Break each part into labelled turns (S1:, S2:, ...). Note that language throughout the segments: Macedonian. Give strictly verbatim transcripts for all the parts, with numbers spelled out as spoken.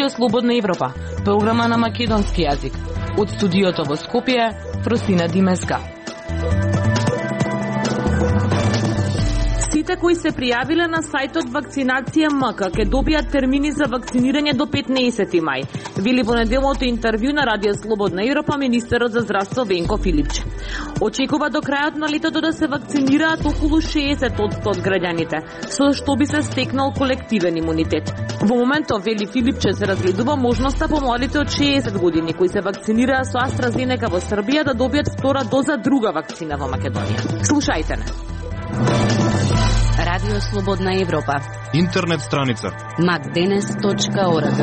S1: Радио Слободна Европа, програма на македонски јазик. Од студиото во Скопје, Фростина Димеска. Сите кои се пријавиле на сајтот Вакцинација МК ќе добијат термини за вакцинирање до петнаесети мај, вели во неделното интервју на Радио Слободна Европа министерот за здравство Венко Филипче. Очекува до крајот на летото да се вакцинираат околу шеесет одсто од граѓаните, со што би се стекнал колективен имунитет. Во моментов, вели Филипче, се разгледува можноста помладите од шеесет години кои се вакцинираа со AstraZeneca во Србија да добијат втора доза друга вакцина во Македонија. Слушајте не.
S2: Радио Слободна Европа.
S3: Интернет страница
S2: макденес точка орг.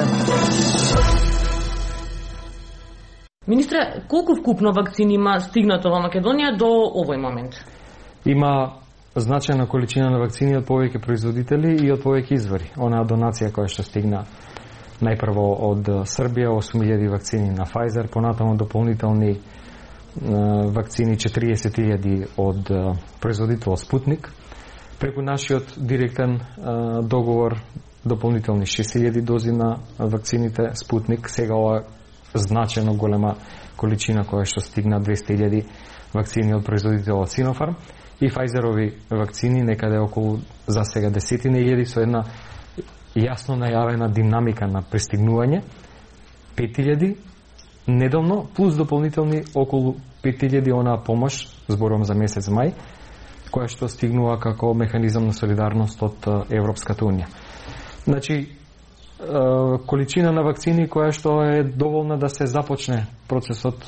S1: Министре, колку вкупно вакцини има стигнато во Македонија до овој момент?
S4: Има значајна количина на вакцини од повеќе производители и од повеќе извори. Онаа донација која што стигна најпрво од Србија, осум илјади вакцини на Pfizer, понатаму дополнителни вакцини четириесет илјади од производител Спутник. Преку нашиот директен а, договор дополнителни шест илјади дози на вакцините Спутник. Сега ова значено голема количина која што стигна двесте илјади вакцини од производителот Sinopharm и Pfizerovi вакцини некаде околу за сега десетина илјади со една јасно најавена динамика на пристигнување. пет илјади недовно плюс дополнителни околу пет илјади онаа помош, зборувам за месец мај, која што стигнува како механизам на солидарност од Европската унија. Значи, количина на вакцини која што е доволна да се започне процесот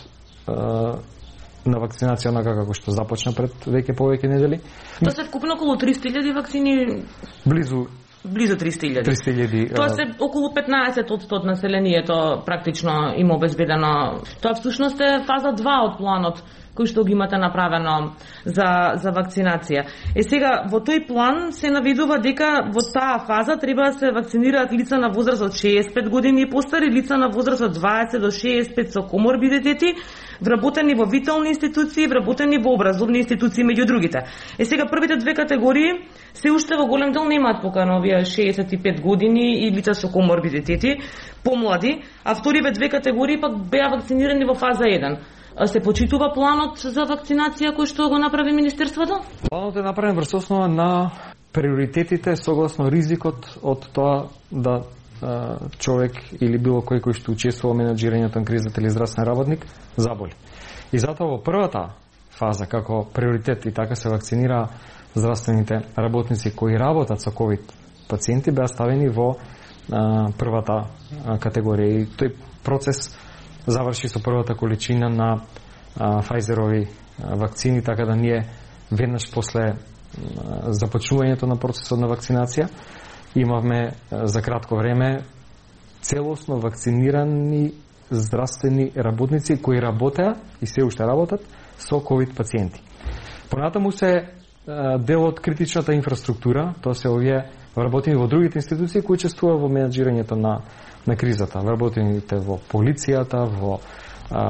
S4: на вакцинација онака како што започна пред веќе повеќе недели.
S1: Тоа се вкупно околу триста илјади вакцини.
S4: Близу
S1: Близу триста илјади.
S4: триста илјади.
S1: Тоа се околу петнаесет одсто од населението практично има обезбедено. Тоа всушност е фаза два од планот кој што ги имате направено за, за вакцинација. Е сега, во тој план се наведува дека во таа фаза треба да се вакцинираат лица на возраст од шеесет и пет години и постари, лица на возраст од дваесет до шеесет и пет со коморбидитети, вработени во витални институции, вработени во образовни институции меѓу другите. Е сега, првите две категории се уште во голем дел немаат покана овие шеесет и пет години и лица со коморбидитети, помлади, а вториве две категории пак беа вакцинирани во фаза еден. Се почитува планот за вакцинација кој што го направи Министерството?
S4: Планот е направен врз основа на приоритетите согласно ризикот од тоа да а, човек или било кој кој што учествува во менаџирањето на кризата или здравствен работник заболи. И затоа во првата фаза како приоритет и така се вакцинира здравствените работници кои работат со ковид пациенти беа ставени во а, првата а, категорија. И тој процес заврши со првата количина на а, Pfizerovi а, вакцини, така да ние веднаш после а, започнувањето на процесот на вакцинација имавме а, за кратко време целосно вакцинирани здравствени работници кои работеа и се уште работат со ковид пациенти. Понатаму се а, дел од критичната инфраструктура, тоа се овие вработени во другите институции кои учествуваат во менаџирањето на на кризата, вработените во полицијата, во а,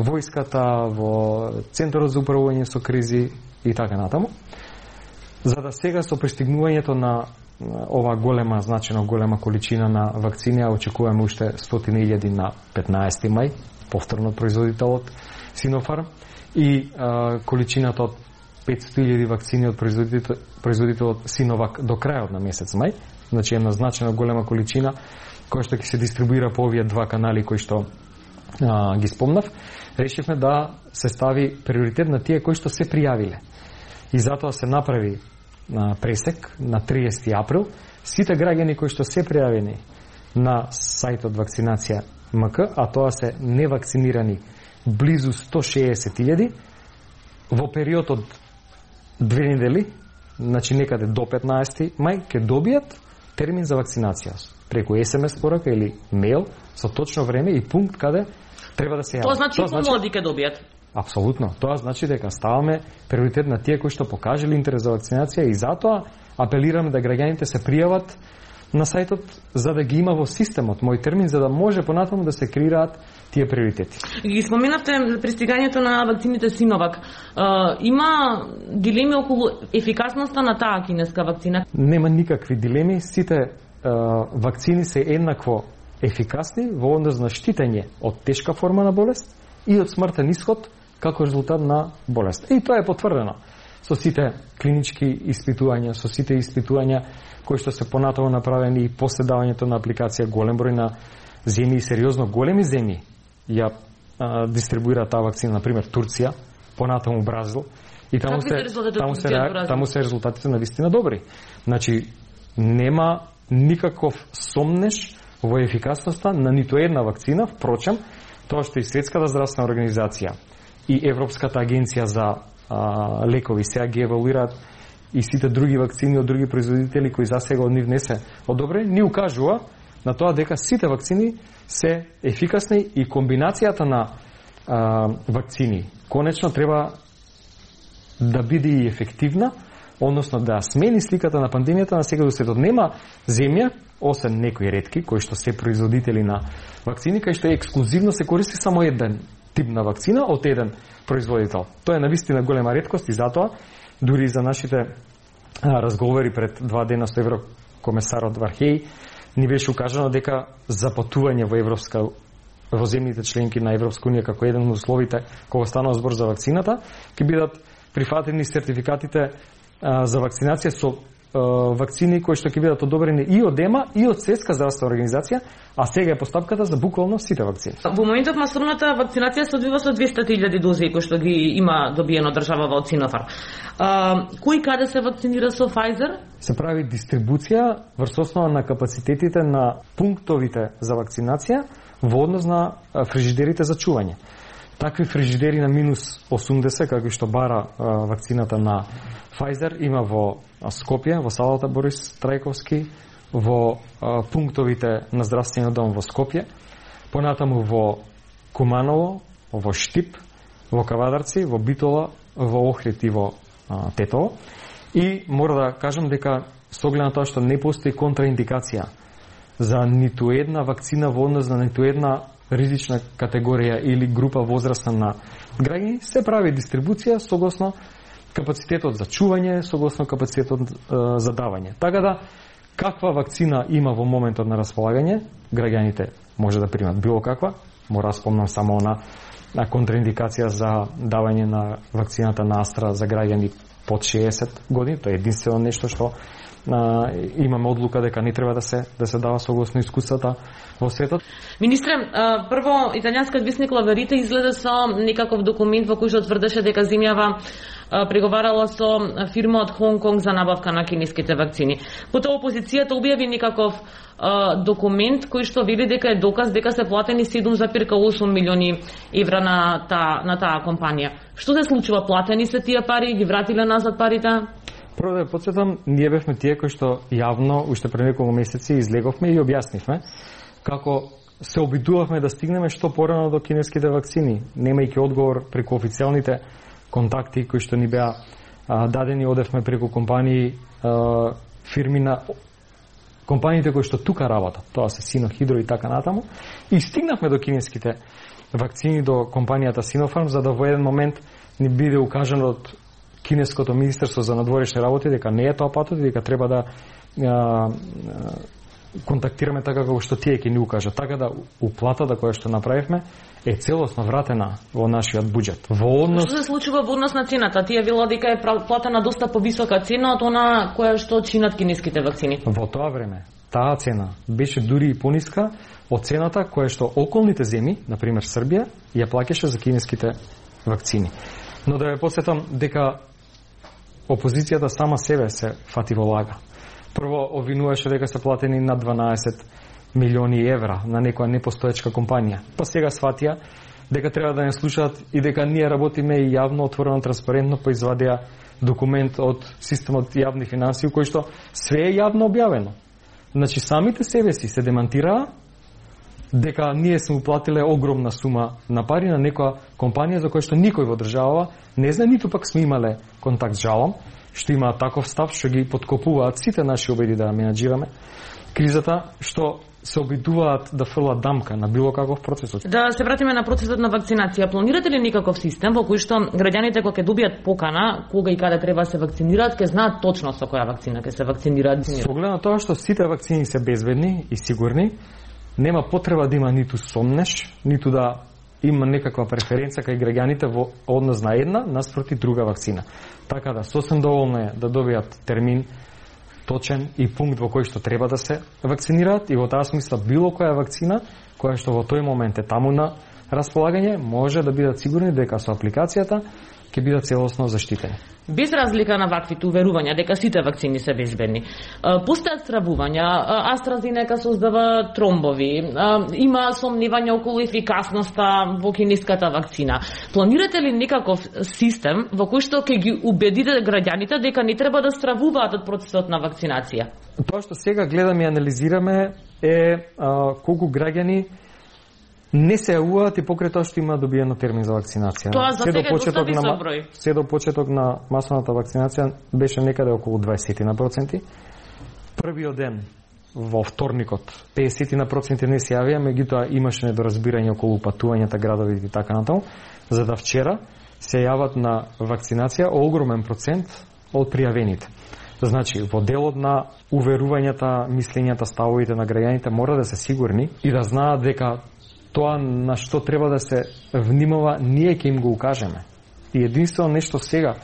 S4: војската, во Центарот за управување со кризи и така натаму. За да сега со пристигнувањето на ова голема, значено голема количина на вакцини, очекуваме уште стотини илјади на петнаесети мај, повторно производителот Sinopharm, и а, количината од петстотини илјади вакцини од производител, производителот Sinovac до крајот на месец мај, значи една значено голема количина кој што ќе се дистрибуира по овие два канали кои што а, ги спомнав. Решивме да се стави приоритет на тие кои што се пријавиле. И затоа се направи а, пресек на триесети април. Сите граѓани кои што се пријавени на сајтот Вакцинација МК, а тоа се невакцинирани близу сто шеесет илјади, во период од две недели, значи некаде до петнаесети мај, ќе добијат термин за вакцинација преку ес ем ес порака или мејл со точно време и пункт каде треба да се јават.
S1: Тоа значи и помлади ќе добијат.
S4: Апсолутно. Тоа значи дека ставаме приоритет на тие кои што покажале интерес за вакцинација и затоа апелираме да граѓаните се пријават на сајтот за да ги има во системот мој термин, за да може понатаму да се креираат тие приоритети.
S1: Ги споменавте пристигањето на вакцините Sinovac. Uh, има дилеми околу ефикасноста на таа кинеска вакцина?
S4: Нема никакви дилеми. Сите uh, вакцини се еднакво ефикасни во однос на штитење од тешка форма на болест и од смртен исход како резултат на болест. И тоа е потврдено со сите клинички испитувања, со сите испитувања кои што се понатаму направени и после давањето на апликација голем број на земји, сериозно големи земји ја а, дистрибуира таа вакцина, например Турција, понатаму Бразил, и таму се таму се таму се резултатите на вистина добри. Значи нема никаков сомнеш во ефикасноста на ниту една вакцина, впрочем, тоа што и Светската здравствена организација и Европската агенција за а, лекови сега ги евалуираат и сите други вакцини од други производители кои засега од нив не се одобрени, ни укажува на тоа дека сите вакцини се ефикасни и комбинацијата на а, вакцини конечно треба да биде и ефективна, односно да смени сликата на пандемијата на сега до светот. Нема земја, освен некои ретки, кои што се производители на вакцини, кај што ексклузивно се користи само еден тип на вакцина од еден производител. Тоа е навистина голема реткост и затоа, дури за нашите а, разговори пред два дена со еврокомесарот Вархеј, ни беше укажано дека за патување во Европска во земјите членки на Европска унија како еден од условите кога станува збор за вакцината, ќе бидат прифатени сертификатите а, за вакцинација со а, вакцини кои што ќе бидат одобрени и од ЕМА и од Светска здравствена организација, а сега е постапката за буквално сите вакцини.
S1: Во моментот масовната вакцинација се одвива со двеста илјади дози кои што ги има добиено државава од Синофарм. А, кој каде се вакцинира со Pfizer?
S4: Се прави дистрибуција врз основа на капацитетите на пунктовите за вакцинација во однос на фрижидерите за чување. Такви фрижидери на минус осумдесет, како што бара а, вакцината на Pfizer, има во Скопје, во салата Борис Трајковски, во а, пунктовите на здравствениот дом во Скопје, понатаму во Куманово, во Штип, во Кавадарци, во Битола, во Охрид и во а, Тетово. И мора да кажам дека со оглед на тоа што не постои контраиндикација за ниту една вакцина во однос на ниту една ризична категорија или група возрастна на граѓани, се прави дистрибуција согласно капацитетот за чување, согласно капацитетот е, за давање. Така да, каква вакцина има во моментот на располагање, граѓаните може да примат било каква, мора да спомнам само на, на контраиндикација за давање на вакцината на Астра за граѓани под шеесет години, тоа е единствено нешто што а, имаме одлука дека не треба да се да се дава согласно искуствата во светот.
S1: Министре, а, прво италијанскиот весник Лаверите изгледа со некаков документ во кој што тврдеше дека земјава а, преговарала со фирма од Хонг Конг за набавка на кинеските вакцини. Потоа опозицијата објави некаков а, документ кој што вели дека е доказ дека се платени седум зарез осум милиони евра на таа на таа компанија. Што се случува? Платени се тие пари, ги вратиле назад парите?
S4: Прво да подсетам, ние бевме тие кои што јавно уште пред неколку месеци излеговме и објаснивме како се обидувавме да стигнеме што порано до кинеските вакцини, немајќи одговор преку официјалните контакти кои што ни беа а, дадени, одевме преку компании, а, фирми на компаниите кои што тука работат, тоа се Сино, Хидро и така натаму, и стигнавме до кинеските вакцини, до компанијата Синофарм, за да во еден момент ни биде укажано од Кинеското министерство за надворешни работи дека не е тоа патот и дека треба да а, а, контактираме така како што тие ќе ни укажат. Така да уплатата која што направивме е целосно вратена во нашиот буџет. Во однос...
S1: Што се случува во однос на цената? Тие вело дека е платена доста повисока цена од она која што чинат кинеските вакцини.
S4: Во тоа време таа цена беше дури и пониска од цената која што околните земји, например Србија, ја плаќаше за кинеските вакцини. Но да ве потсетам дека опозицијата сама себе се фати во лага. Прво обвинуваше дека се платени над дванаесет милиони евра на некоја непостоечка компанија. Па сега сватија дека треба да не слушаат и дека ние работиме и јавно, отворено, транспарентно, па извадија документ од системот јавни финансии кој што све е јавно објавено. Значи самите себе си се демантираа дека ние сме уплатиле огромна сума на пари на некоја компанија за која што никој во државава не знае, ниту пак сме имале контакт. Жалам што има таков став што ги подкопуваат сите наши обиди да менаџираме кризата, што се обидуваат да фрлат дамка на било каков процес.
S1: Да се вратиме на процесот на вакцинација. Планирате ли никаков систем во кој што граѓаните кога ќе добијат покана, кога и каде треба да се вакцинираат, ќе знаат точно со која вакцина ќе се вакцинираат?
S4: Со оглед на тоа што сите вакцини се безбедни и сигурни, нема потреба да има ниту сомнеш, ниту да има некаква преференција кај граѓаните во однос на една наспроти друга вакцина. Така да сосем доволно е да добијат термин точен и пункт во кој што треба да се вакцинираат и во таа смисла било која вакцина која што во тој момент е таму на располагање може да бидат сигурни дека со апликацијата ќе бидат целосно заштитени.
S1: Без разлика на ваквите уверувања дека сите вакцини се безбедни, постојат стравувања, AstraZeneca создава тромбови, има сомневања околу ефикасноста во кинеската вакцина. Планирате ли некаков систем во кој што ќе ги убедите граѓаните дека не треба да стравуваат од процесот на вакцинација?
S4: Тоа што сега гледаме и анализираме е а, колку граѓани не се јавуваат и покрај тоа што има добиено термин за вакцинација.
S1: Тоа за сега е доста висок број.
S4: Се до почеток на масовната вакцинација беше некаде околу дваесет проценти. Првиот ден во вторникот песет проценти не се јавија, меѓутоа имаше недоразбирање околу патувањата, градовите и така натаму, за да вчера се јават на вакцинација огромен процент од пријавените. Значи, во делот на уверувањата, мислењата, ставовите на граѓаните мора да се сигурни и да знаат дека тоа на што треба да се внимава, ние ќе им го укажеме. И единствено нешто сега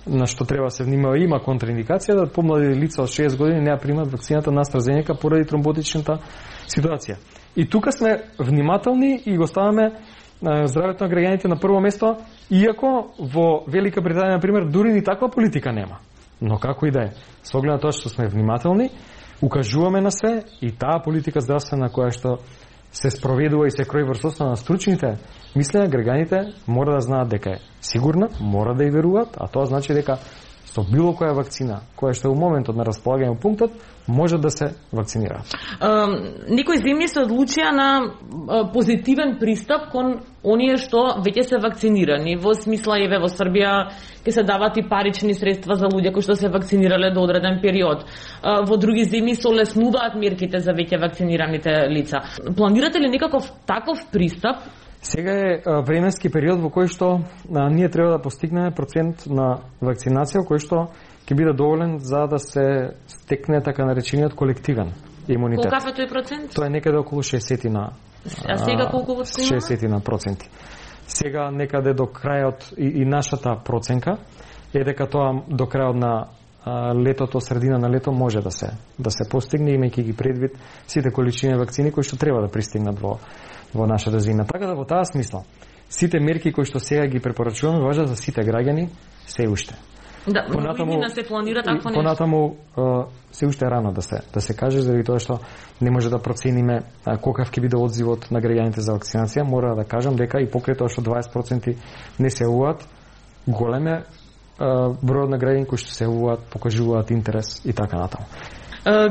S4: на што треба да се внимава, има контраиндикација да помлади лица од шеесет години не ја примат вакцината на AstraZeneca поради тромботичната ситуација. И тука сме внимателни и го ставаме здравето на граѓаните на прво место, иако во Велика Британија, например, дури ни таква политика нема. Но како и да е, со оглед на тоа што сме внимателни, укажуваме на се и таа политика здравствена која што се спроведува и се крои врз основа на стручните мислења, граѓаните мора да знаат дека е сигурна, мора да ја веруваат, а тоа значи дека со било која вакцина, која што е во моментот на располагање во пунктот, може да се вакцинира.
S1: Некои земји се одлучија на позитивен пристап кон оние што веќе се вакцинирани. Во смисла, еве, во Србија ќе се дават и парични средства за луѓе кои што се вакцинирале до одреден период. Во други земји се олеснуваат мерките за веќе вакцинираните лица. Планирате ли некаков таков пристап?
S4: Сега е временски период во кој што а, ние треба да постигнеме процент на вакцинација кој што ќе биде доволен за да се стекне така наречениот колективен имунитет.
S1: Колкав е тој процент?
S4: Тоа е некаде околу шеесет на
S1: А сега колку вакцина?
S4: шеесет на проценти. Сега некаде до крајот и, и нашата проценка е дека тоа до крајот на а, летото, средина на лето може да се да се постигне, имајќи ги предвид сите количини вакцини кои што треба да пристигнат во во нашата земја. Така да во таа смисла, сите мерки кои што сега ги препорачуваме важат за сите граѓани се уште.
S1: Да, понатаму да се планира такво нешто.
S4: Понатаму се уште рано да се да се каже заради тоа што не може да процениме колкав ќе биде одзивот на граѓаните за вакцинација. Мора да кажам дека и покрај тоа што дваесет проценти не се јавуваат, големе бројот на граѓани кои што се јавуваат покажуваат интерес и така натаму.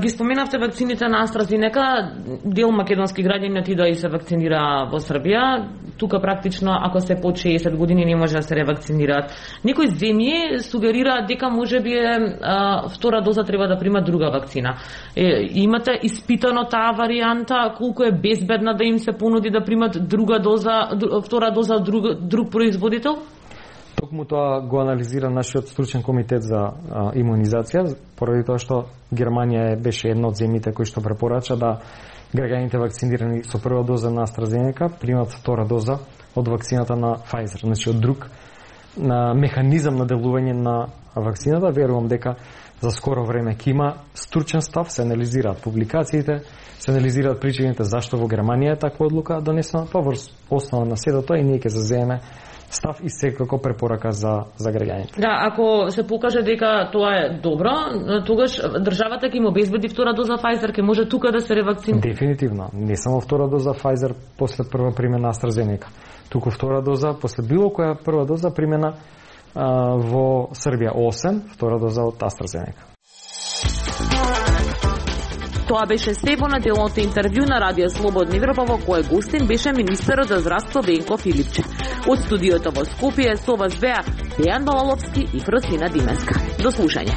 S1: Ги споменавте вакцините на AstraZeneca, дел македонски граѓани отидоа и се вакцинира во Србија. Тука практично, ако се под шеесет години, не може да се ревакцинираат. Некои земји сугерираат дека можеби а, втора доза треба да примат друга вакцина. Е, имате испитано таа варијанта, колку е безбедна да им се понуди да примат друга доза, втора доза од друг, друг производител?
S4: Токму тоа го анализира нашиот стручен комитет за а, имунизација, поради тоа што Германија беше една од земјите кои што препорача да граѓаните вакцинирани со прва доза на AstraZeneca примат втора доза од вакцината на Pfizer, значи од друг на механизам на делување на вакцината. Верувам дека за скоро време ќе има стручен став, се анализираат публикациите, се анализираат причините зашто во Германија е таква одлука донесена, па врз основа на сето тоа и ние ќе заземеме став и секако препорака за за граѓаните.
S1: Да, ако се покаже дека тоа е добро, тогаш државата ќе им обезбеди втора доза Pfizer, ќе може тука да се ревакцинира.
S4: Дефинитивно, не само втора доза Pfizer после прва примена AstraZeneca, туку втора доза после било која прва доза примена а, во Србија осем, втора доза од AstraZeneca.
S1: Тоа беше се во неделното интервју на Радио Слободна Европа, во кое гостин беше министерот за здравство Венко Филипче. Од студиото во Скопје со вас беа Дејан Балаловски и Фросина Дименска. До слушање.